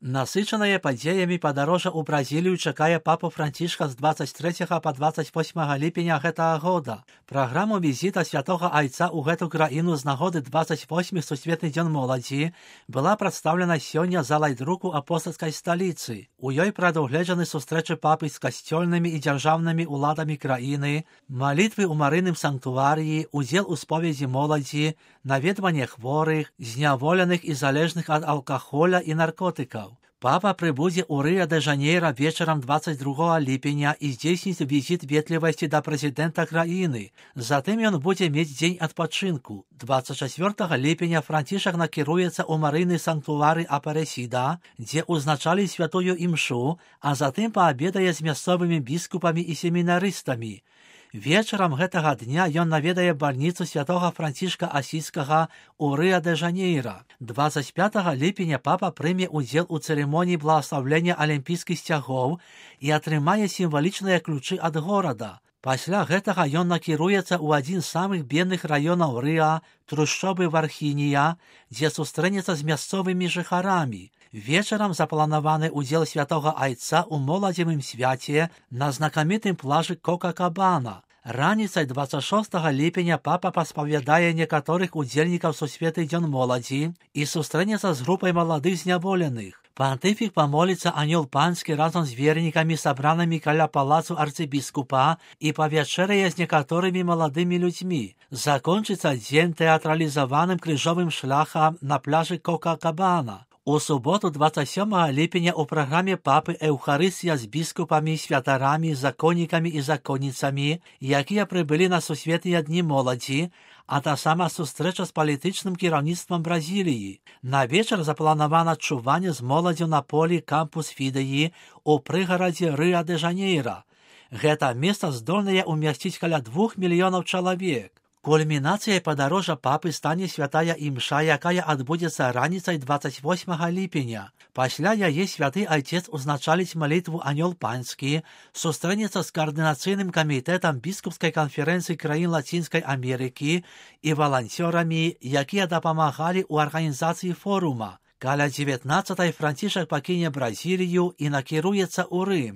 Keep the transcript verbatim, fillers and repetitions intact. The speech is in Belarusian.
Насычанае падзеямі падарожжа ў Бразілію чакае папу Францішка з дваццаць трэцяга па дваццаць восьмага ліпеня гэтага года. Праграму візіта святога айца ў гэту краіну з нагоды дваццаць восьмы сусветны дзён моладзі была прадстаўлена сёння залай друку апостальскай сталіцы. У ёй прадугледжаны сустрэчы папы з касцёльнымі і дзяржаўнымі ўладамі краіны, малітвы ў марыйным санктуарыі, удзел у споведзі моладзі, наведванне хворых, зняволеных і залежных ад алкаголя і наркотыкаў. Папа прыбудзе ў Рыа-дэ-Жанейра вечарам дваццаць другога ліпеня і здзейсніць візіт ветлівасці да прэзідэнта краіны. Затым ён будзе мець дзень адпачынку. дваццаць чацвёртага ліпеня Францішак накіруецца ў марыйны санктуары Апарэсіда, дзе ўзначалі святую імшу, а затым паабедае з мясцовымі біскупамі і семінарыстамі. Вечарам гэтага дня ён наведае бальніцу святога Францішка Асійскага ў Рыа-дэ-Жанейра. дваццаць пятага ліпеня папа прыме ўдзел у цырымоніі благаслаўлення алімпійскіх сцягоў і атрымае сімвалічныя ключы ад горада. Пасля гэтага ён накіруецца ў адзін з самых бедных раёнаў Рыа, трушчобы Вархінія, дзе сустрэнецца з мясцовымі жыхарамі. Вечарам запланаваны ўдзел святога айца ў моладзевым свяце на знакамітым плажы Кока-Кабана. Раніцай дваццаць шостага ліпеня папа паспавядае некаторых удзельнікаў сусветны дзён моладзі і сустрэнецца з групай маладых зняволеных. Пантыфік памоліцца анёл панскі разам з вернікамі, сабранымі каля палацу арцыбіскупа, і павячэрае з некаторымі маладымі людзьмі. Закончыцца дзень тэатралізаваным крыжовым шляхам на пляжы Кока-Кабана. У суботу дваццаць сёмага ліпеня ў праграме папы Эўхарыстыя з біскупамі, святарамі, законнікамі і законніцамі, якія прыбылі на сусветныя дні моладзі, а таксама сустрэча з палітычным кіраўніцтвам Бразіліі. На вечар запланавана чуванне з моладзю на полі кампус Фідэі ў прыгарадзе Рыа-дэ-Жанейра. Гэта месца здольнае ўмясціць каля двух мільёнаў чалавек. Кульмінацыяй падарожжа папы стане святая імша, якая адбудзецца раніцай дваццаць восьмага ліпеня. Пасля яе святы айцец узначаліць малітву анёл панскі, сустрэнецца з каардынацыйным камітэтам біскупскай канферэнцыі краін Лацінскай Амерыкі і валанцёрамі, якія дапамагалі ў арганізацыі форума. Каля дзевятнаццатай Францішак пакіне Бразілію і накіруецца ў Рым.